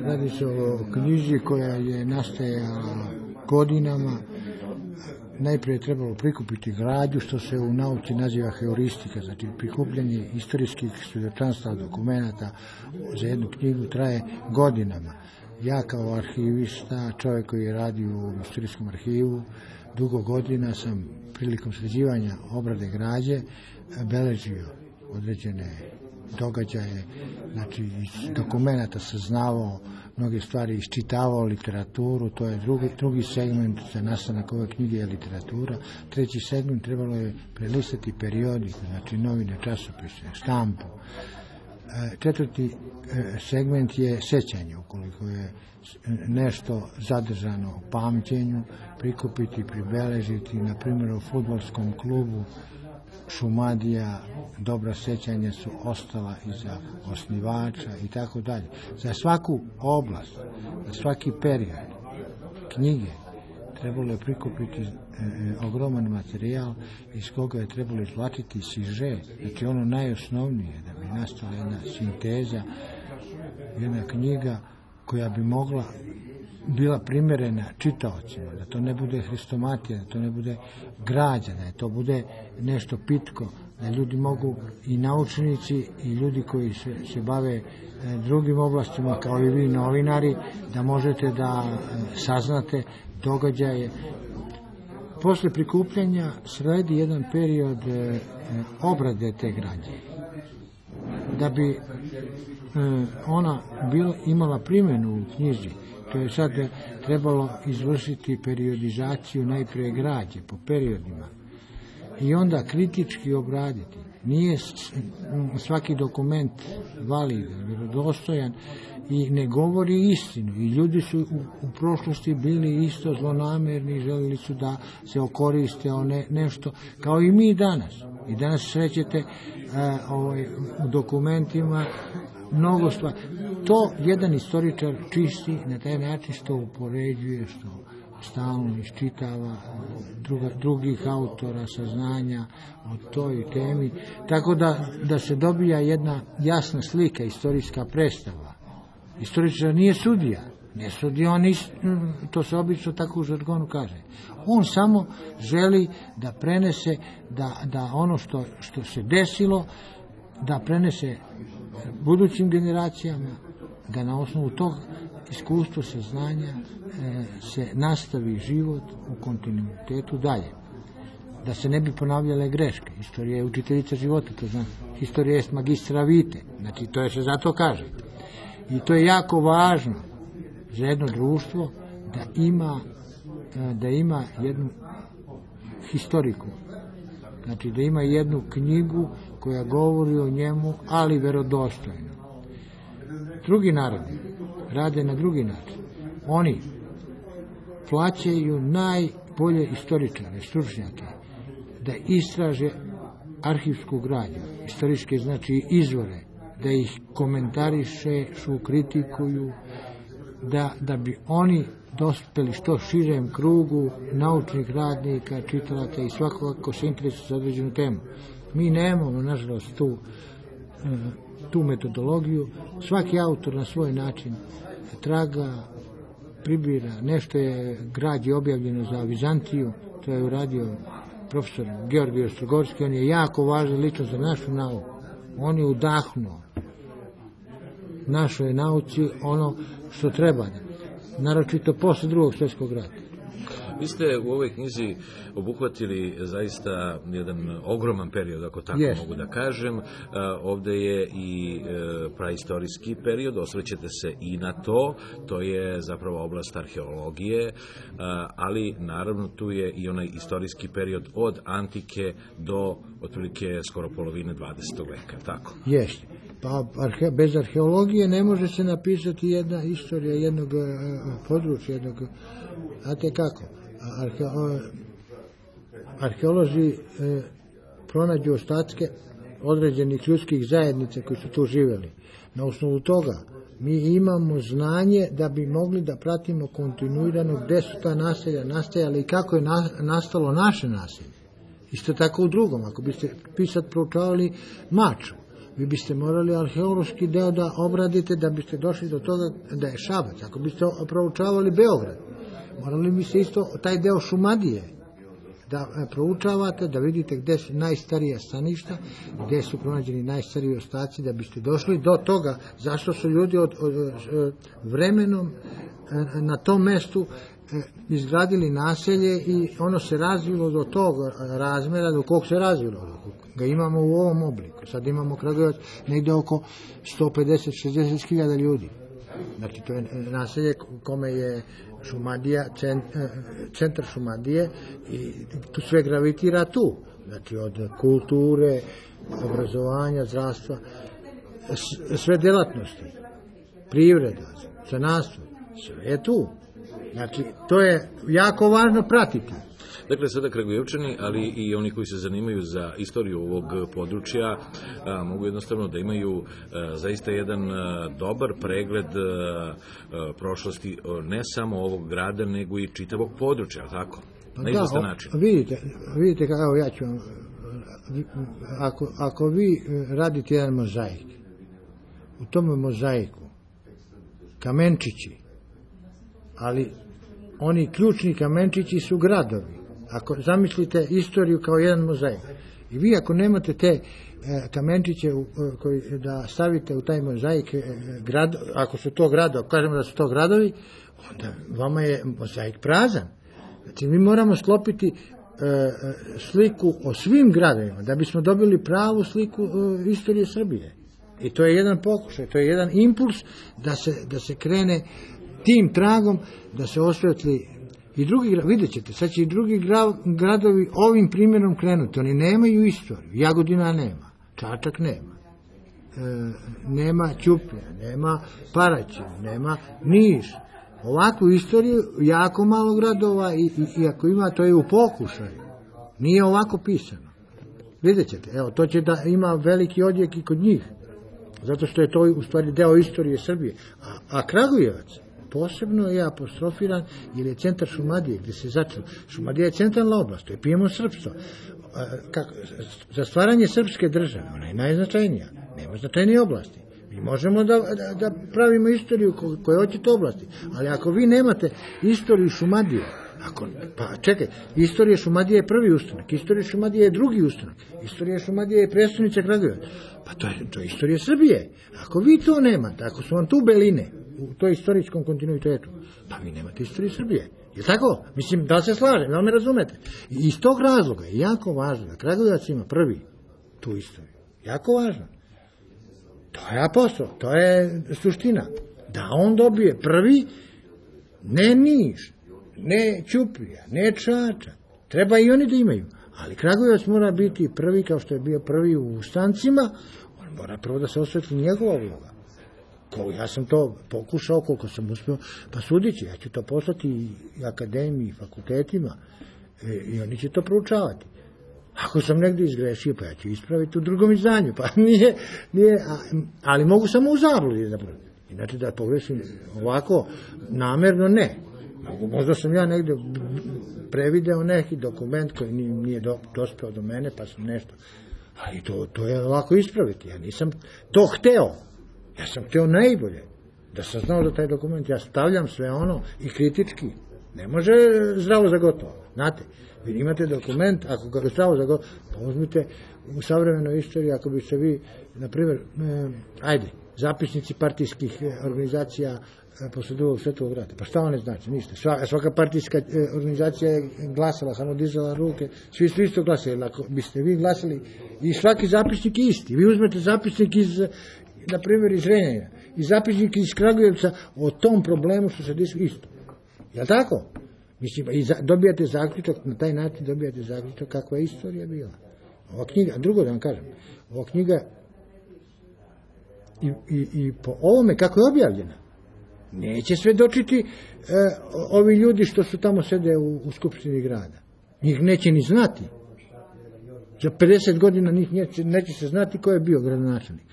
Radi se o knjizi koja je nastajala godinama. Najprije je trebalo prikupiti građu, što se u nauci naziva heuristika, znači prikupljanje istorijskih svjedočanstva dokumenata za jednu knjigu traje godinama. Ja kao arhivista, čovjek koji je radio u istorijskom arhivu, dugo godina sam prilikom sređivanja obrade građe beležio određene događaje, znači iz dokumenata saznavao mnoge stvari, iščitavao literaturu, to je drugi segment za nastanak ove knjige je literatura. Treći segment trebalo je prelistati periodik, znači novine, časopise, štampu. Četvrti segment je sećanje, ukoliko je nešto zadržano u pamćenju, prikupiti, pribeležiti, na primjer u fudbalskom klubu Šumadija, dobra sećanja su ostala iza osnivača i tako dalje. Za svaku oblast, za svaki period knjige trebalo je prikupiti ogroman materijal iz koga je trebalo izvlačiti siže, znači ono najosnovnije, da bi nastala jedna sinteza, jedna knjiga koja bi mogla bila primjerena čitaocima, da to ne bude hrestomatija, da to ne bude građa, da to bude nešto pitko, da ljudi mogu i naučnici i ljudi koji se bave drugim oblastima kao i vi novinari, da možete da saznate događaje. Posle prikupljanja sledi jedan period obrade te građe. Da bi ona imala primjenu u knjizi, to je sad trebalo izvršiti periodizaciju najprije građe po periodima i onda kritički obraditi. Nije svaki dokument validan, vjerodostojan i ne govori istinu. I ljudi su u prošlosti bili isto zlonamerni, želili su da se okoriste o nešto, kao i mi danas. I danas srećete u dokumentima mnogo stvari. To jedan istoričar čisti na taj način što upoređuje, što stalno iščitava drugih autora, saznanja o toj temi, tako da se dobija jedna jasna slika, istorijska predstava. Istoričar nije sudija, to se obično tako u žargonu kaže. On samo želi da prenese, da ono što se desilo, da prenese budućim generacijama, da na osnovu tog iskustva, saznanja se nastavi život u kontinuitetu dalje. Da se ne bi ponavljale greške. Istorija je učiteljica života, to znači. Historija je magistra vitae, znači to se zato kaže. I to je jako važno za jedno društvo da ima jednu historiku. Znači da ima jednu knjigu koja govori o njemu, ali verodostojno. Drugi narodi rade na drugi način. Oni plaćaju najbolje istoričare, stručnjake, da istraže arhivsku građu, istorijske znači izvore, da ih komentarišu, kritikuju, da bi oni dospeli što širem krugu naučnih radnika, čitalaca i svakoga ko se interesuje za određenu temu. Mi nemamo, nažalost, tu metodologiju. Svaki autor na svoj način traga, pribira. Nešto je građe objavljeno za Vizantiju, to je uradio profesor Georgij Ostrogorski, on je jako važan ličnost za našu nauku. On je udahnuo našoj nauci ono što treba, naročito posle Drugog svjetskog rata. Vi ste u ovoj knjizi obuhvatili zaista jedan ogroman period, ako tako mogu da kažem. Ovde je i praistorijski period, osvrćete se i na to je zapravo oblast arheologije, ali naravno tu je i onaj istorijski period od antike do otprilike skoro polovine 20. veka, tako? Jeste. Pa bez arheologije ne može se napisati jedna istorija jednog područja, znate kako? Arheolozi pronađu ostatke određenih ljudskih zajednica koji su tu živjeli. Na osnovu toga mi imamo znanje da bi mogli da pratimo kontinuirano gde su ta naselja nastajala i kako je nastalo naše naselje. Isto tako u drugom, ako biste pisat proučavali Mačvu. vi biste morali arheološki deo da obradite da biste došli do toga da je Šabac. Ako biste proučavali Beograd, morali biste isto taj deo Šumadije da proučavate, da vidite gde su najstarija staništa, gde su pronađeni najstariji ostaci, da biste došli do toga zašto su ljudi od vremenom na tom mestu izgradili naselje i ono se razvilo do tog razmera do kog se razvilo. Ga imamo u ovom obliku. Sad imamo Kragujevac negde oko 150-60 hiljada ljudi. Znači to je naselje kome je Šumadija, centar Šumadije i tu sve gravitira tu. Znači od kulture, obrazovanja, zdravstva, sve delatnosti, privreda, zanatstvo, sve je tu. Znači to je jako važno pratiti. Dakle, sada Kragujevčani, ali i oni koji se zanimaju za istoriju ovog područja, mogu jednostavno da imaju zaista jedan dobar pregled prošlosti ne samo ovog grada, nego i čitavog područja, tako? Na izvestan način. Vidite kako ja ću vam, ako vi radite jedan mozaik, u tome mozaiku kamenčići, ali oni ključni kamenčići su gradovi. Ako zamislite istoriju kao jedan mozaik i vi ako nemate te kamenčiće da stavite u taj mozaik, ako su to gradovi, ako kažemo da su to gradovi, onda vama je mozaik prazan. Znači mi moramo sklopiti sliku o svim gradovima da bismo dobili pravu sliku istorije Srbije. I to je jedan pokušaj, to je jedan impuls da se krene tim tragom, da se osvetli i drugi, vidjet ćete, sad će i drugi gradovi ovim primjerom krenuti. Oni nemaju istoriju, Jagodina nema, Čačak nema, nema Ćuprija, nema Paraćin, nema Niš. Ovakvu istoriju jako malo gradova i ako ima, to je u pokušaju. Nije ovako pisano. Vidjet ćete, evo, to će da ima veliki odjek i kod njih, zato što je to u stvari deo istorije Srbije. A Kragujevac posebno je apostrofiran jer je centar Šumadije gdje se začelo. Šumadija je centralna oblast, to je pijemo srpstvo. Za stvaranje srpske države, ona je najznačajnija, nema značajnije oblasti. Mi možemo da pravimo istoriju koje hoćete oblasti, ali ako vi nemate istoriju Šumadije, pa čekaj, istorija Šumadije je prvi ustanak, istorija Šumadije je drugi ustanak, istorija Šumadije je prestonica Kragujevac, pa to je istorija Srbije. Ako vi to nemate, ako su vam tu beline u toj istorijskom kontinuitetu, pa vi nemate istoriju Srbije. Je tako? Mislim, da se slažem, da me razumete. I iz tog razloga je jako važno da Kragujevac ima prvi tu istoriju. Jako važno. To je apostrol, to je suština. Da on dobije prvi, ne Niš, ne Ćuprija, ne Čačak. Treba i oni da imaju. Ali Kragujevac mora biti prvi, kao što je bio prvi u ustancima, on mora prvo da se osvetli njegova uloga. Ja sam to pokušao koliko sam uspio, pa sudići, ja ću to poslati i akademiji, i fakultetima, i oni će to proučavati. Ako sam negdje izgrešio, pa ja ću ispraviti u drugom izdanju, pa nije, ali mogu samo u zabludi zapravo. Inače da pogrešim ovako, namerno ne. Možda sam ja negdje prevideo neki dokument koji nije dospeo do mene, pa sam nešto. Ali to je lako ispraviti, ja nisam to hteo. Ja sam hteo najbolje, da sam znao da taj dokument, ja stavljam sve ono i kritički. Ne može zdravo za gotovo, znate. Vi imate dokument, ako ga zdravo za gotovo, pa uzmite u savremenoj istoriji, ako biste vi, na primjer, zapisnici partijskih organizacija posle drugog svetovog rata. Pa šta one znači? Ništa. Svaka partijska organizacija je glasala, samo dizala ruke, svi su isto glasali. Ako biste vi glasali, i svaki zapisnik je isti. Vi uzmete zapisnik iz, na primjer, iz Renjanina, i zapisnik iz Kragujevca o tom problemu što se desi isto. Je li tako? Mislim, i dobijate zaključak, na taj način dobijate zaključak kakva je istorija bila. Ova knjiga, a drugo da vam kažem, ova knjiga i po ovome kako je objavljena, neće svedočiti ovi ljudi što su tamo sede u Skupštini grada. Njih neće ni znati. Za 50 godina njih neće se znati ko je bio gradonačelnik.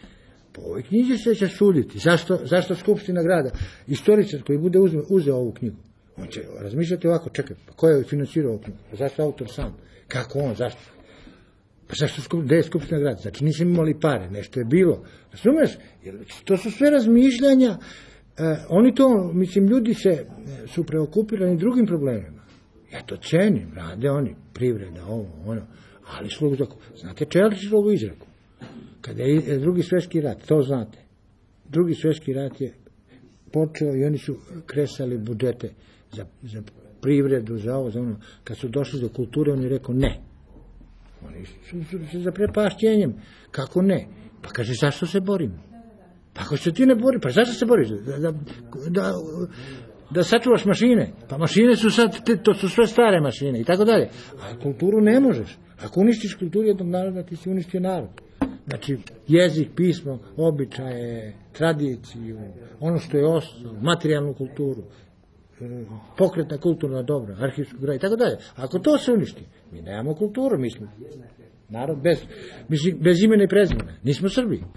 Po ovoj knjizi se će suditi. Zašto Skupština grada? Istoričar koji bude uzeo ovu knjigu, on će razmišljati ovako, čekaj, ko je financirao ovu knjigu? Zašto autor sam? Kako on? Zašto? Pa zašto, gde je Skupština grada? Znači nisam imali pare, nešto je bilo. Razumeš? To su sve razmišljanja. Oni to, mislim, ljudi su preokupirani drugim problemima. Ja to cenim, rade oni, privreda, ovo, ono, ali znate Čelićevu izreku? Kada je drugi svjetski rat, to znate. Drugi svjetski rat je počeo i oni su kresali budžete za privredu, za ovo, za ono. Kad su došli do kulture, on je rekao ne. Oni su se za prepašćenjem. Kako ne? Pa kaže, zašto se borimo? Pa ako se ti ne bori, pa zašto se boriš? Da sačuvaš mašine. Pa mašine su sad, to su sve stare mašine i tako dalje. A kulturu ne možeš. Ako uništiš kulturu jednog naroda, ti si uništio narod. Znači, jezik, pismo, običaje, tradiciju, ono što je ostalo, materijalnu kulturu, pokretna kulturna dobra, arhivsku gradu i tako dalje. Ako to se uništi, mi nemamo kulturu, mi smo narod bez imena i prezimena. Nismo Srbi.